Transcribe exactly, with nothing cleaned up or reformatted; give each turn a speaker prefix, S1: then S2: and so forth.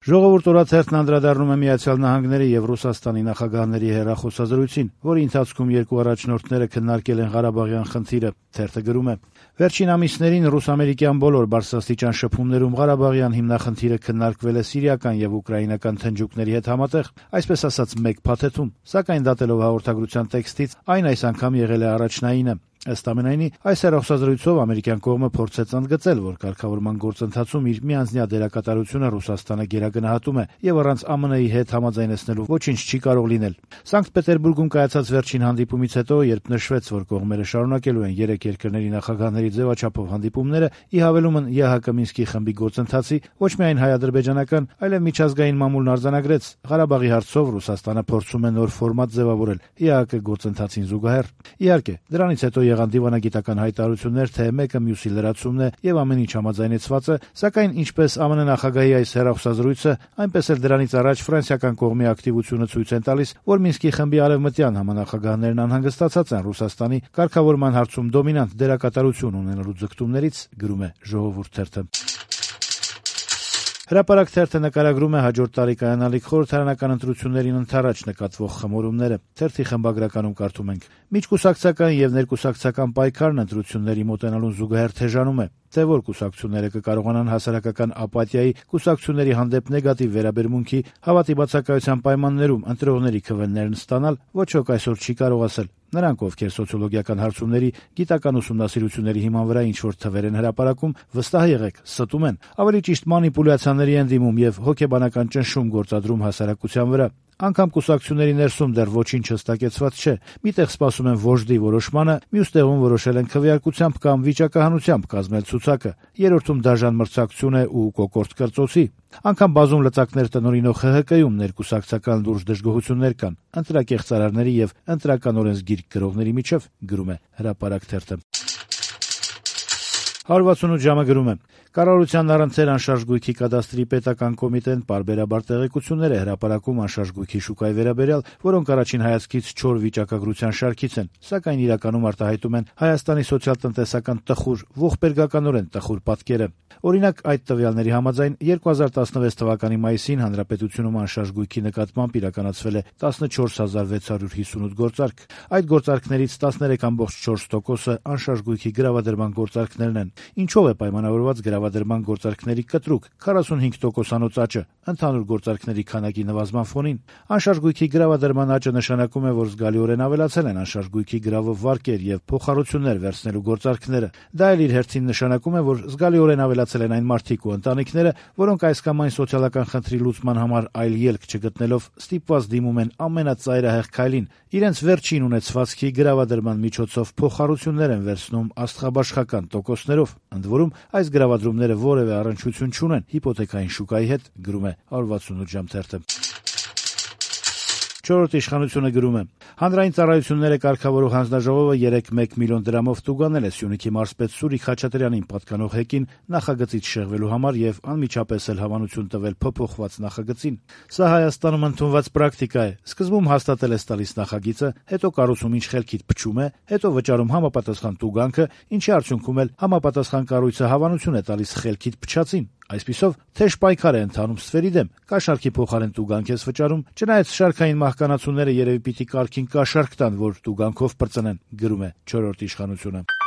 S1: Ժողովուրդ օրաթերթն անդրադառնում է Միացյալ Նահանգների եւ Ռուսաստանի նախագահների հեռախոսազրույցին, որի ընթացքում երկու առաջնորդները քննարկել են Ղարաբաղյան խնդիրը։ Թերթը գրում է. Վերջին ամիսներին ռուս-ամերիկյան բոլոր բարձրաստիճան շփումներում Ղարաբաղյան հիմնախնդիրը քննարկվել է սիրիական եւ ուկրաինական թնջուկների հետ համատեղ, այսպես ասած մեկ փաթեթում, սակայն դատելով հաղորդագրության տեքստից, այն այս անգամ եղել է առաջնայինը։ Ըստ ամենայնի, այս հեռախոսազրույցով ամերիկյան կողմը փորձեց ընդգծել, որ կարգավորման գործընթացում իր միանձնյա դերակատարությունը Ռուսաստանը գերագնահատում է եւ առանց ԱՄՆ-ի հետ համաձայնեցնելու ոչինչ չի կարող լինել։ Սանկտ Պետերբուրգում կայացած վերջին հանդիպումից հետո, երբ նշվեց, որ կողմերը շարունակելու են երեք երկրների նախագահների ձևաչափով հանդիպումները, ի հավելումն ԵՀԿ Մինսկի խմբի գործընթացի, ոչ միայն հայ-ադրբեջանական, այլև միջազգային մամուլն արձանագրեց, Ղարաբաղի հարցով Ռուսաստանը փորձում է նոր ֆորմատ ձևավորել ԵՀԿ գործընթացին զուգահեռ։ Իհարկե, դրանից հետո եղան դիվանագիտական հայտարարություններ, թե մեկը մյուսի լրացումն է եւ ամեն ինչ համաձայնեցված է, սակայն ինչպես ԱՄՆ նախագահի այս հեռախոսազրույցը, այնպես էլ դրանից առաջ ֆրանսիական կողմի ակտիվությունը ցույց են տալիս, որ Մինսկի խմբի արևմտյան համանախագահներն անհանգստացած են Ռուսաստանի կարգավորման հարցում դոմինանտ դերակատարություն ունենալու ձգտումներից, գրում է Ժողովուրդ թերթը։ Հրապարակ թերթը նկարագրում է հաջորդ տարի կայանալիք խորհրդարանական ընտրություններին ընդառաջ նկատվող խմորումները։ Թերթի խմբագրականում կարդում ենք. Միջկուսակցական եւ ներկուսակցական պայքարն ընտրությունների մոտենալուն զուգահեռ թեժանում է, թե որ կուսակցությունները կկարողանան հասարակական ապաթիայի, կուսակցությունների հանդեպ նեգատիվ վերաբերմունքի, հավատի բացակայության պայմաններում ընտրողների քվեներն ստանալ, ոչ ոք այսօր չի կարող ասել։ Նրանք, ովքեր սոցիոլոգիական հարցումների, գիտական ուսումնասիրությունների հիման վրա ինչ-որ թվեր են հրապարակում, վստահ եղեք, ստում են, ավելի ճիշտ մանիպուլյացիաների են դիմում եւ հոգեբանական ճնշում գործադրում հասարակության վրա։ Անգամ կուսակցությունների ներսում դեռ ոչինչ հստակեցված չէ։ Միտեղ սպասում են վոժդի որոշմանը, մյուս տեղում որոշել են քվեարկությամբ կամ վիճակահանությամբ կազմել ցուցակը։ Երրորդում դաժան մրցակցություն է ու կոկորտ կրծոցի։ Անգամ բազում լծակներ տնօրինող ՀՀԿ-ում ներկուսակցական լուրջ դժգոհություններ կան ընտրակեղծարարների եւ ընտրական օրենսգիր գրողների միջև, գրում է Հրապարակ թերթը։ հարյուր վաթսունութ ժամը գրում է. Կառավարության առընթեր անշարժ գույքի կադաստրի պետական կոմիտեն պարբերաբար տեղեկություններ է հրապարակում անշարժ գույքի շուկայի վերաբերյալ, որոնք առաջին հայացքից չոր վիճակագրության շարքից են, սակայն իրականում արտահայտում են Հայաստանի սոցիալ-տնտեսական տխուր, ողբերգականորեն տխուր պատկերը։ Օրինակ, այդ տվյալների համաձայն երկու հազար տասնվեց թվականի մայիսին հանրապետությունում անշարժ գույքի նկատմամբ իրականացվել է տասնչորս հազար վեց հարյուր հիսունութ գործարք։ Այդ գործարքներից տասներեք կόμμα չորս տոկոսը անշարժ գույքի գրավադրման գործարքներն են։ Ինչով է պայմանավորված գրավադրման գործարքների կտրուկ քառասունհինգ տոկոսանոց աճը ընդհանուր գործարքների քանակի նվազման ֆոնին։ Անշարժ գույքի գրավադրման աճը նշանակում է, որ զգալիորեն ավելացել են անշարժ գույքի գրավով վարկեր եւ փոխառություններ վերցնելու գործարքները։ Դա էլ իր հերթին նշանակում է, որ զգալիորեն ավելացել են այն մարդիկ ու ընտանիքները, որոնք այս կամ այն սոցիալական խնդրի լուծման համար այլ ելք չգտնելով ստիպված դիմում են ամենածայրահեղ քայլին, իրենց վերջին ունեցվածքի գրավադրման միջոցով փոխառություններ են վերցնում աստղաբաշխական տոկոսներով։ Ընդ որում, այս գրավադրումները որևէ առնչություն չունեն հիպոթեքային շուկայի հետ, գրում է հարյուր վաթսունութ ժամ թերթը։ Չորրորդ իշխանությունը գրում է. Հանրային ծառայությունները կարգավորող հանձնաժողովը երեկ մեկ միլիոն դրամով տուգանել է Սյունիքի մարզպետ Սուրիկ Խաչատրյանին պատկանող հեկին նախագծից շեղվելու համար եւ անմիջապես էլ հավանություն տվել փոփոխված նախագծին։ Սա Հայաստանում ընդունված պրակտիկա է։ Սկզբում հաստատել ես տալիս նախագիծը, հետո կառուցում ինչ խելքիդ փչում է, հետո վճարում համապատասխան տուգանքը, ինչի արդյունքում էլ համապատասխան կառույցը հավանություն է տալիս խելքիդ փչածին։ Այսպիսով, թեժ պայքար է ընթանում ստվերի դեմ, կաշառքի փոխարեն տուգանք ես վճարում, չնայած շարքային մահկանացուները երևի պիտի կարգին կաշառք տան, որ տուգանքով պրծնեն, գրում է չորրորդ իշխանությունը։